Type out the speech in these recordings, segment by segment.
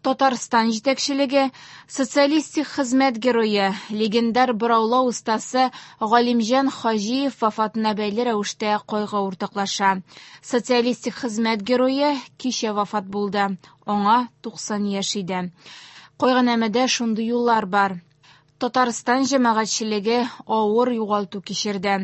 Татарстан җитәкчелеге Социалистик Хезмәт Герое, легендар бораулау остасы Галимҗан Хаҗиев вафатына бәйле рәвештә кайгы уртаклаша. Социалистик Хезмәт Герое кичә вафат булды. Аңа 90 яшь иде. Кайгынамәдә шундый юллар бар. Татарстан җәмәгатьчелеге авыр югалту кичерде.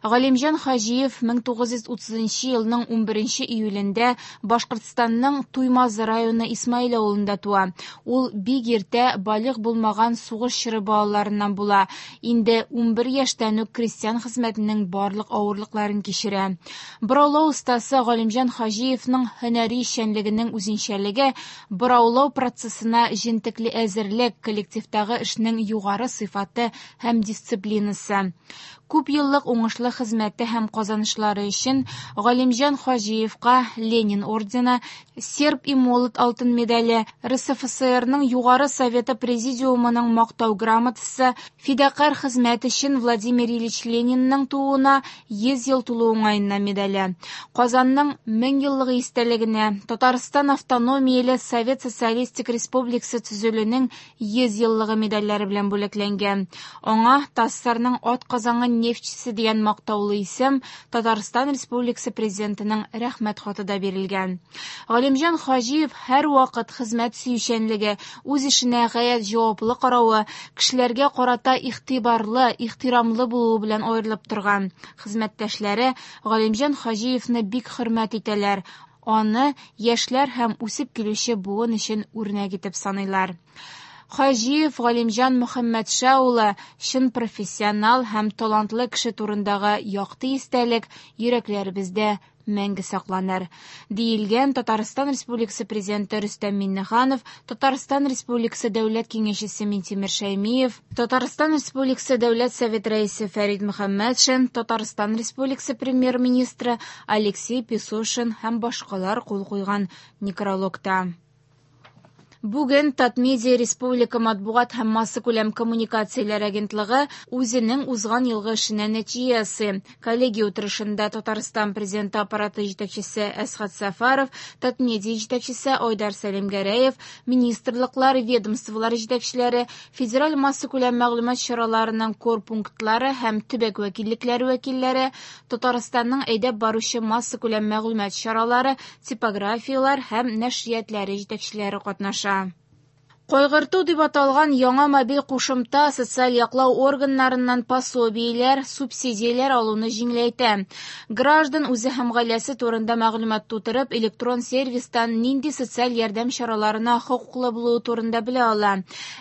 Галимҗан Хаҗиев 1930 елның 11 июлендә Башкортстанның Туймазы районы Исмаил авылында туа. Ул бик иртә балигъ булмаган сугыш чоры балаларыннан була. Инде 11 яшьтән үк крестьян хезмәтенең барлык авырлыкларын кичерә. Бораулау остасы Галимҗан Хаҗиевның һөнәри эшчәнлегенең үзенчәлеге бораулау процессына җентекле әзерлек, коллективтагы эшнең югары сыйфаты һәм дисциплинасы. Күп еллык уңышлы хезмәте һәм казанышлары өчен Галимҗан Хаҗиевка Ленин ордены, Серп и молот алтын медале, РСФСРның Югары Советы Президиумының Мактау грамотасы, Фидакарь хезмәт өчен Владимир Ильич Ленинның тууына 100 ел тулу уңаеннан медале, Казанның 1000 еллыгы истәлегенә, Татарстан автономияле Совет Социалистик Республикасы төзелүнең 100 еллыгы медальләре белән бүләкләнгән. Аңа ТАССРның атказанган нефтьчесе дигән мактаулы исем, Татарстан Республикасы Президентының Рәхмәт хаты да бирелгән. Галимҗан Хаҗиев һәрвакыт хезмәт сөючәнлеге, үз эшенә гаять җаваплы каравы, кешеләргә карата игътибарлы, ихтирамлы булуы белән аерылып торган. Хезмәттәшләре Галимҗан Хаҗиевны бик хөрмәт итәләр, аны яшьләр һәм үсеп килүче буын өчен үрнәк итеп саныйлар. Хаҗиев Галимҗан Мөхәммәтша улы чын профессионал һәм талантлы кеше турындагы якты истәлек йөрәкләребездә мәңге сакланыр, диелгән Татарстан Республикасы Президенты Рөстәм Миңнеханов, Татарстан Республикасы Дәүләт Киңәшчесе Минтимер Шәймиев, Татарстан Республикасы Дәүләт Совет Рәисе Фәрит Мөхәммәтшин, Татарстан Республикасы Премьер-министры Алексей Песошин һәм башкалар кул куйган некрологта. Бүген Татмедиа республика матбугат һәм массакүләм коммуникацияләр агентлыгы үзенең узган елгы эшенә нәтиҗә ясый. Коллегия утырышында Татарстан Президенты аппараты җитәкчесе Әсхәт Сәфәров, Татмедиа җитәкчесе Айдар Сәлимгәрәев, министрлыклар, ведомстволар җитәкчеләре, федераль массакүләм мәгълүмат чараларының корпунктлары һәм төбәк вәкиллекләре вәкилләре, Татарстанның әйдәп баручы массакүләм мәгълүмат чаралары, типографияләр һәм нәшриятләре җитәкчеләре катнаша. Кайгырту дип аталган яңа мобиль кушымта социаль яклау органнарыннан пособиеләр, субсидияләр алуны җиңеләйтә. Граждан үзе һәм гаиләсе турында мәгълүмат тутырып, электрон сервистан нинди социаль ярдәм чараларына хокуклы булуы турында белә ала.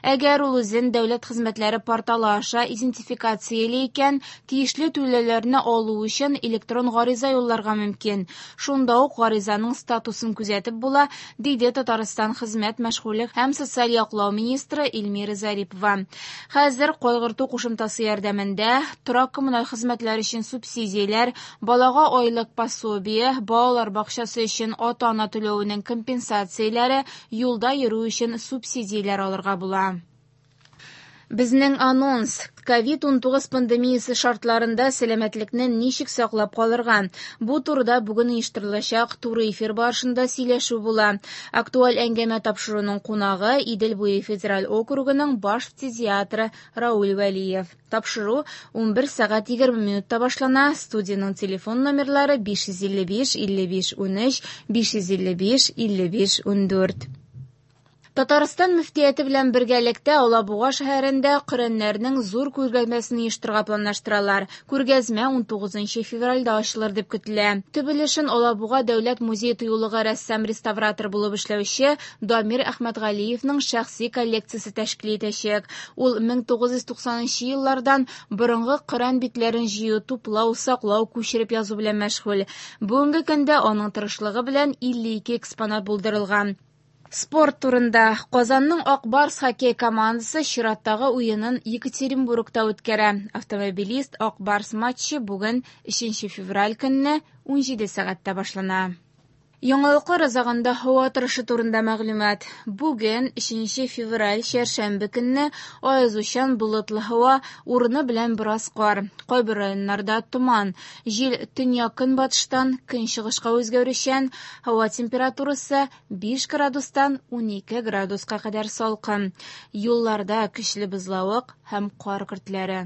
Әгәр ул үзен дәүләт хезмәтләре порталы аша идентификацияли икән, тиешле түләүләрне алу өчен электрон гариза юлларга мөмкин. Шунда ук гаризаның статусын күзәтеп була, диде Татарстан хезмәт, мәшгульлек һәм социаль яклау министры Эльмира Зарипова. Хәзер кайгырту кушымтасы ярдәмендә торак коммуналь хезмәтләр өчен субсидияләр, балага айлык пособие, балалар бакчасы өчен ата-ана түләвенең компенсацияләре, юлда йөрү өчен субсидияләр алырга була. Безнең анонс: ковид-19 пандемиясе шартларында сәламәтлекне ничек саклап калырга? Бу турыда бүген оештырылачак туры эфир барышында сөйләшү була. Актуаль әңгәмә тапшыруның кунагы Идел буе федераль округының баш фтизиатры Рауль Вәлиев. Тапшыру 11 сәгать 20 минутта башлана. Студиянең телефон номерлары 555 55 13, 555 55 14. Татарстан мөфтияте белән бергәлектә Алабуга шәһәрендә Коръәннәрнең зур күргәзмәсен оештырырга планлаштыралар. Күргәзмә 19 февральдә ачылыр дип көтелә. Төп өлешен Алабуга дәүләт музей тыюлыгы рәссам-реставратор булып эшләүче Дамир Әхмәтгалиевның шәхси коллекциясе тәшкил итәчәк. Ул 1990 еллардан борынгы Коръән битләрен җыю, туплау, саклау, күчереп язу белән мәшгуль. Бүгенге көндә аның тырышлыгы белән 52 экспонат булдырылган. Спорт турында. Казанның Ак Барс хоккей командасы чираттагы уенын Екатеринбургта үткәрә. Автомобилист Ак Барс матчы бүген 3 февраль көнне 17 сәгатьтә башлана. Яңалыклар азагында һава торышы турында мәгълүмат. Бүген, 3 февраль, чәршәмбе көнне аязучан болытлы һава, урыны белән бераз кар. Кайбер районнарда томан. Җил төньяк-көнбатыштан көнчыгышка үзгәрүчән. Һава температурасы 5 градустан 12 градуска кадәр салкын. Юлларда көчле бозлавык һәм кар көртләре.